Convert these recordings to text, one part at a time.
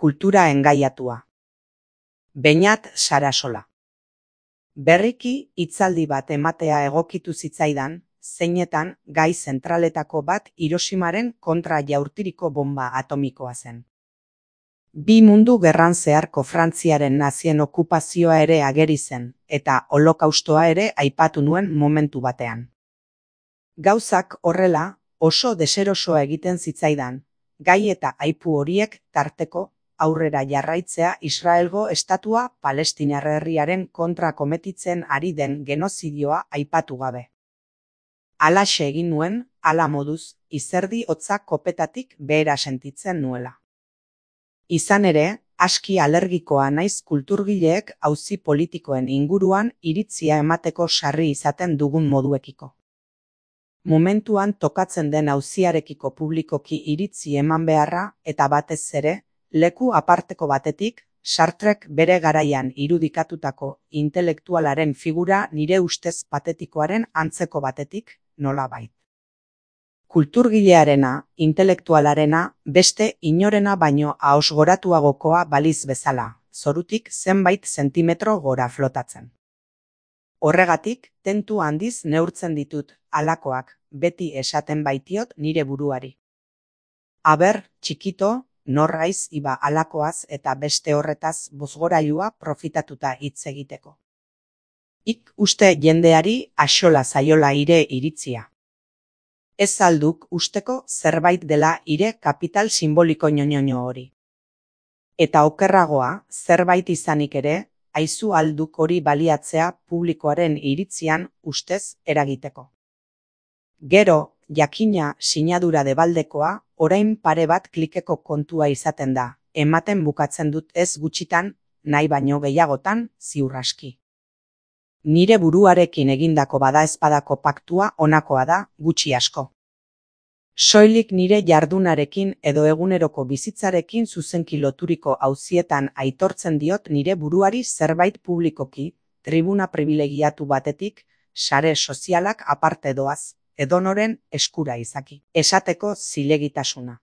Kultura engaiatua. Beñat Sarasola. Berriki hitzaldi bat ematea egokitu zitzaidan, zeinetan gai zentraletako bat Hiroshimaren kontra jaurtiriko bomba atomikoa zen. Bi mundu gerran zeharko Frantziaren nazien okupazioa ere ageri zen, eta holokaustoa ere aipatu nuen momentu batean. Gauzak horrela, oso deserosoa egiten zitzaidan, gai eta aipu horiek tarteko aurrera jarraitzea Israelgo estatua Palestinar herriaren kontra kometitzen ari den genozidioa aipatu gabe. Halaxe egin nuen, hala moduz, izerdi hotza kopetatik behera sentitzen nuela. Izan ere, aski alergikoa naiz kulturgileek auzi politikoen inguruan iritzia emateko sarri izaten dugun moduekiko. Momentuan tokatzen den auziarekiko publikoki iritzi eman beharra eta batez ere, leku aparteko batetik, Sartrek bere garaian irudikatutako intelektualaren figura nire ustez patetikoaren antzeko batetik, nolabait. Kulturgilearena, intelektualarena, beste inorena baino ahosgoratuagokoa baliz bezala, zorutik zenbait zentimetro gora flotatzen. Horregatik, tentu handiz neurtzen ditut, halakoak, beti esaten baitiot nire buruari. Aber, txikito, norraiz iba halakoaz eta beste horretaz bozgorailua profitatuta hitz egiteko. Ik uste jendeari axola zaiola ire iritzia. Ez alduk usteko zerbait dela ire kapital simboliko ñoñoño hori. Eta okerragoa, zerbait izanik ere, aizu alduk hori baliatzea publikoaren iritzian ustez eragiteko. Gero, jakina sinadura debaldekoa, orain pare bat klikeko kontua izaten da, ematen bukatzen dut ez gutxitan, nahi baino gehiagotan, ziur aski. Nire buruarekin egindako badaezpadako paktua honakoa da, gutxi asko. Soilik nire jardunarekin edo eguneroko bizitzarekin zuzenki loturiko auzietan aitortzen diot nire buruari zerbait publikoki, tribuna privilegiatu batetik, sare sozialak aparte doaz, edonoren eskura izaki. Esateko zilegitasuna.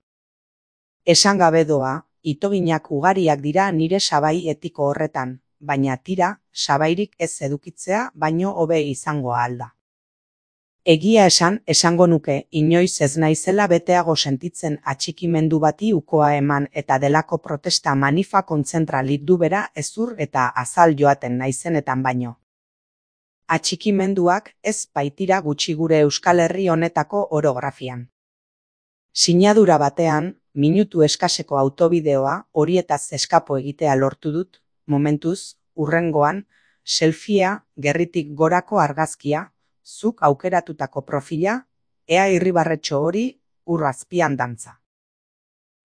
Esan gabe doa, itoginak ugariak dira nire sabai etiko horretan, baina tira, sabairik ez edukitzea baino hobe izango alda. Egia esango nuke, inoiz ez naizela beteago sentitzen atxikimendu bati ukoa eman eta delako protesta manifa kontzentral bera ezur eta azal joaten naizenetan baino. Atxikimenduak ez baitira gutxi gure Euskal Herri honetako orografian. Sinadura batean, minutu eskaseko autobideoa horietaz eskapo egitea lortu dut, momentuz, hurrengoan, selfia, gerritik gorako argazkia, zuk aukeratutako profila, ea irribarretxo hori, ur azpian dantza.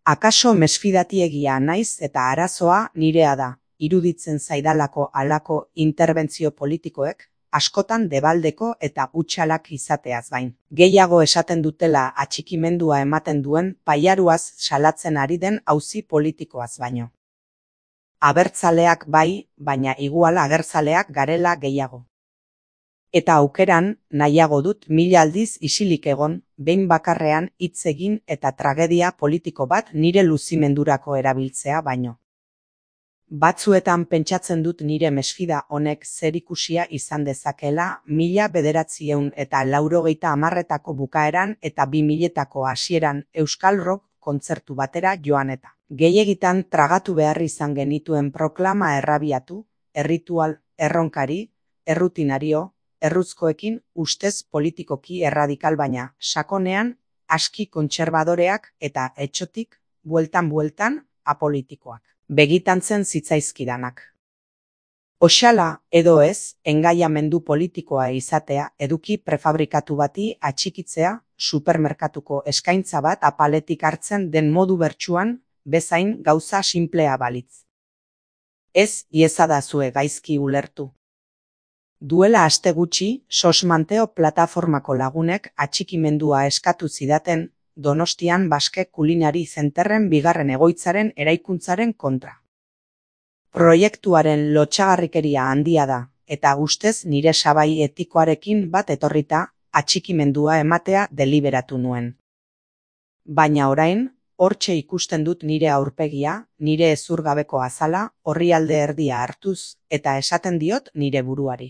Akaso mesfidatiegia naiz eta arazoa nirea da, iruditzen zaidalako halako interbentzio politikoek, askotan debaldeko eta hutsalak izateaz bain. Gehiago esaten dutela atxikimendua ematen duen pailaruaz salatzen ari den auzi politikoaz baino. Abertzaleak bai, baina igual agertzaleak garela gehiago. Eta aukeran, nahiago dut 1000 aldiz isilik egon, behin bakarrean hitz egin eta tragedia politiko bat nire luzimendurako erabiltzea baino. Batzuetan pentsatzen dut nire mesfida honek zerikusia izan dezakela 1980etako bukaeran eta 2000etako hasieran Euskal Rock kontzertu batera joan eta. Gehiegitan tragatu behar izan genituen proklama errabiatu, erritual, erronkari, errutinario, erruzkoekin ustez politikoki erradikal baina, sakonean, aski kontserbadoreak eta etxotik, bueltan apolitikoak. Begitantzen zitzaizkidanak. Oxala, edo ez, engaiamendu politikoa izatea eduki prefabrikatu bati atxikitzea, supermerkatuko eskaintza bat apaletik hartzen den modu bertsuan, bezain gauza sinplea balitz. Ez iezadazue gaizki ulertu. Duela aste gutxi, Sos Manteo plataformako lagunek atxikimendua eskatu zidaten, Donostian Baske Kulinari Zenterren bigarren egoitzaren eraikuntzaren kontra. Proiektuaren lotsagarrikeria handia da, eta ustez nire sabai etikoarekin bat etorrita atxikimendua ematea deliberatu nuen. Baina orain, Hortxe ikusten dut nire aurpegia, nire ezurgabeko azala, orrialde erdia hartuz, eta esaten diot nire buruari.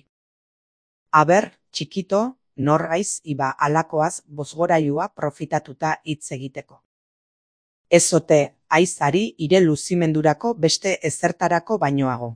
Aber, txikito, nor haiz iba alakoaz bozgorailua profitatuta hitz egiteko. Ez ote, haizari ire luzimendurako beste ezertarako bainoago.